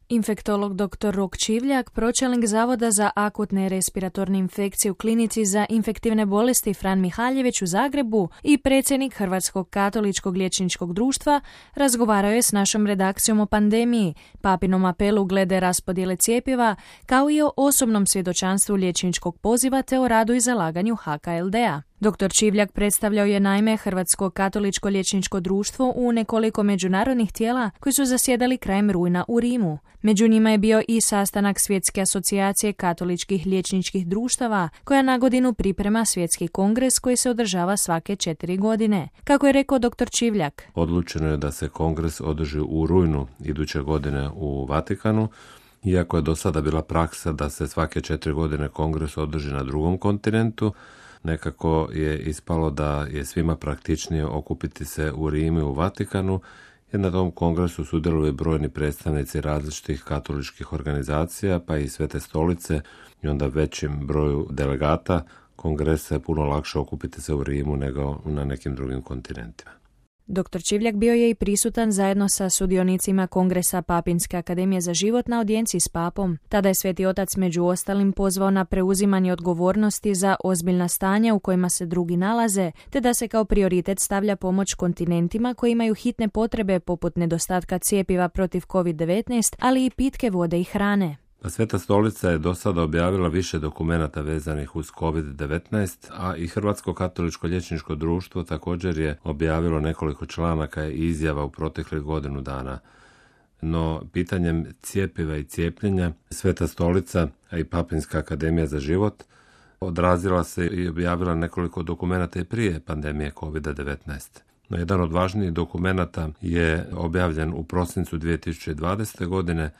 Infektolog dr. Rok Čivljak, pročelnik Zavoda za akutne respiratorne infekcije u klinici za infektivne bolesti Fran Mihaljević u Zagrebu i predsjednik Hrvatskog katoličkog liječničkog društva, razgovarao je s našom redakcijom o pandemiji, papinom apelu glede raspodjele cjepiva, kao i o osobnom svjedočanstvu liječničkog poziva te o radu i zalaganju HKLD-a. Dr. Čivljak predstavljao je naime Hrvatsko katoličko liječničko društvo u nekoliko međunarodnih tijela koji su zasjedali krajem rujna u Rimu. Među njima je bio i sastanak Svjetske asocijacije katoličkih liječničkih društava, koja na godinu priprema svjetski kongres koji se održava svake 4 godine. Kako je rekao dr. Čivljak? Odlučeno je da se kongres održi u rujnu iduće godine u Vatikanu, iako je do sada bila praksa da se svake 4 godine kongres održi na drugom kontinentu. Nekako je ispalo da je svima praktičnije okupiti se u Rimu i u Vatikanu, jer na tom kongresu sudjeluju brojni predstavnici različitih katoličkih organizacija, pa i Svete stolice, i onda većim broju delegata kongresa je puno lakše okupiti se u Rimu nego na nekim drugim kontinentima. Dr. Čivljak bio je i prisutan zajedno sa sudionicima Kongresa Papinske akademije za život na audijenciji s papom. Tada je Sveti Otac među ostalim pozvao na preuzimanje odgovornosti za ozbiljna stanja u kojima se drugi nalaze, te da se kao prioritet stavlja pomoć kontinentima koji imaju hitne potrebe poput nedostatka cjepiva protiv COVID-19, ali i pitke vode i hrane. Sveta stolica je do sada objavila više dokumenata vezanih uz COVID-19, a i Hrvatsko katoličko liječničko društvo također je objavilo nekoliko članaka i izjava u proteklih godinu dana. No, pitanjem cjepiva i cijepljenja, Sveta stolica, a i Papinska akademija za život, odrazila se i objavila nekoliko dokumenata i prije pandemije COVID-19. No, jedan od važnijih dokumenata je objavljen u prosincu 2020. godine,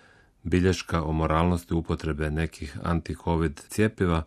bilješka o moralnosti upotrebe nekih anti-covid cjepiva,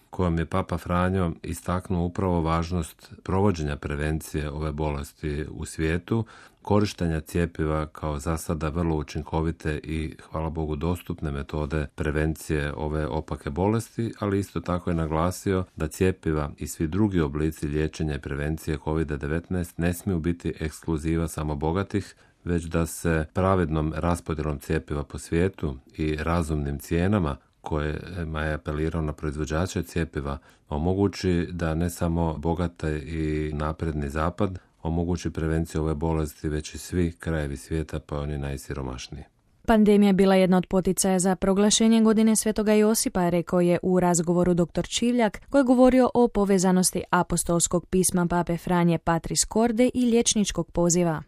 kojom je Papa Franjo istaknuo upravo važnost provođenja prevencije ove bolesti u svijetu, korištenja cjepiva kao za sada vrlo učinkovite i, hvala Bogu, dostupne metode prevencije ove opake bolesti, ali isto tako je naglasio da cjepiva i svi drugi oblici liječenja i prevencije COVID-19 ne smiju biti ekskluziva samo bogatih, već da se pravednom raspodjelom cjepiva po svijetu i razumnim cijenama kojima je apelirao na proizvođače cjepiva omogući da ne samo bogate i napredni zapad omogući prevenciju ove bolesti, već i svi krajevi svijeta, pa oni najsiromašniji. Pandemija je bila jedna od poticaja za proglašenje godine Svetoga Josipa, rekao je u razgovoru dr. Čivljak, koji je govorio o povezanosti apostolskog pisma Pape Franje Patris Corde i liječničkog poziva.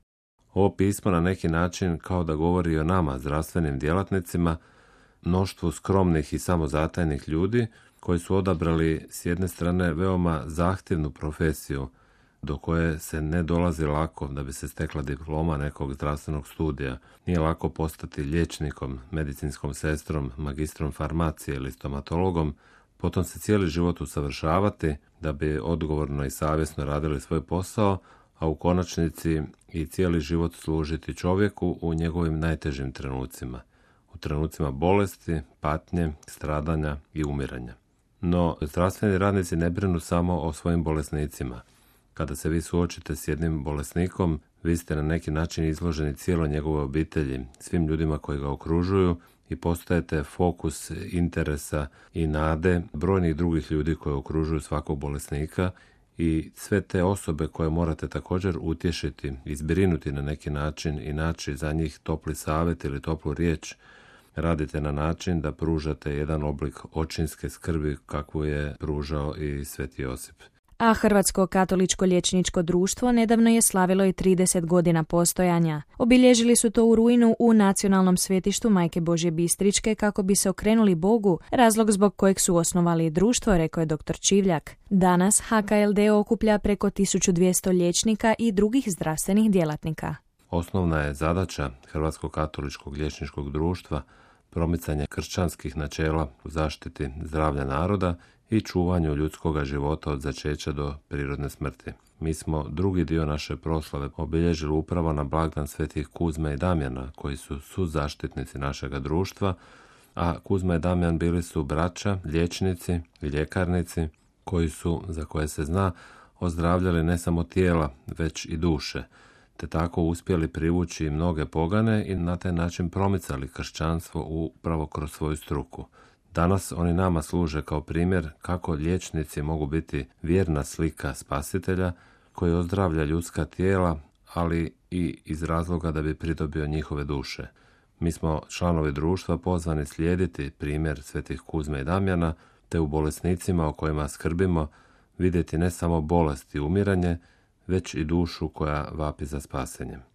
Ovo pismo na neki način kao da govori o nama, zdravstvenim djelatnicima, mnoštvu skromnih i samozatajnih ljudi koji su odabrali s jedne strane veoma zahtjevnu profesiju do koje se ne dolazi lako da bi se stekla diploma nekog zdravstvenog studija. Nije lako postati liječnikom, medicinskom sestrom, magistrom farmacije ili stomatologom, potom se cijeli život usavršavati da bi odgovorno i savjesno radili svoj posao, a u konačnici i cijeli život služiti čovjeku u njegovim najtežim trenucima, u trenucima bolesti, patnje, stradanja i umiranja. No, zdravstveni radnici ne brinu samo o svojim bolesnicima. Kada se vi suočite s jednim bolesnikom, vi ste na neki način izloženi cijeloj njegove obitelji, svim ljudima koji ga okružuju i postajete fokus interesa i nade brojnih drugih ljudi koji okružuju svakog bolesnika i sve te osobe koje morate također utješiti, izbrinuti na neki način i naći za njih topli savjet ili toplu riječ, radite na način da pružate jedan oblik očinske skrbi kakvu je pružao i Sveti Josip. A Hrvatsko katoličko liječničko društvo nedavno je slavilo i 30 godina postojanja. Obilježili su to u rujnu u Nacionalnom svetištu Majke Božje Bistričke kako bi se okrenuli Bogu, razlog zbog kojeg su osnovali društvo, rekao je dr. Čivljak. Danas HKLD okuplja preko 1200 liječnika i drugih zdravstvenih djelatnika. Osnovna je zadaća Hrvatskog katoličkog liječničkog društva promicanje kršćanskih načela u zaštiti zdravlja naroda i čuvanju ljudskoga života od začeća do prirodne smrti. Mi smo drugi dio naše proslave obilježili upravo na blagdan svetih Kuzme i Damjana, koji su suzaštitnici našega društva, a Kuzma i Damjan bili su braća, liječnici i ljekarnici koji su, za koje se zna, ozdravljali ne samo tijela, već i duše. te tako uspjeli privući mnoge pogane i na taj način promicali kršćanstvo upravo kroz svoju struku. Danas oni nama služe kao primjer kako liječnici mogu biti vjerna slika Spasitelja koji ozdravlja ljudska tijela, ali i iz razloga da bi pridobio njihove duše. Mi smo članovi društva pozvani slijediti primjer svetih Kuzme i Damjana, te u bolesnicima o kojima skrbimo vidjeti ne samo bolest i umiranje, već i dušu koja vapi za spasenjem.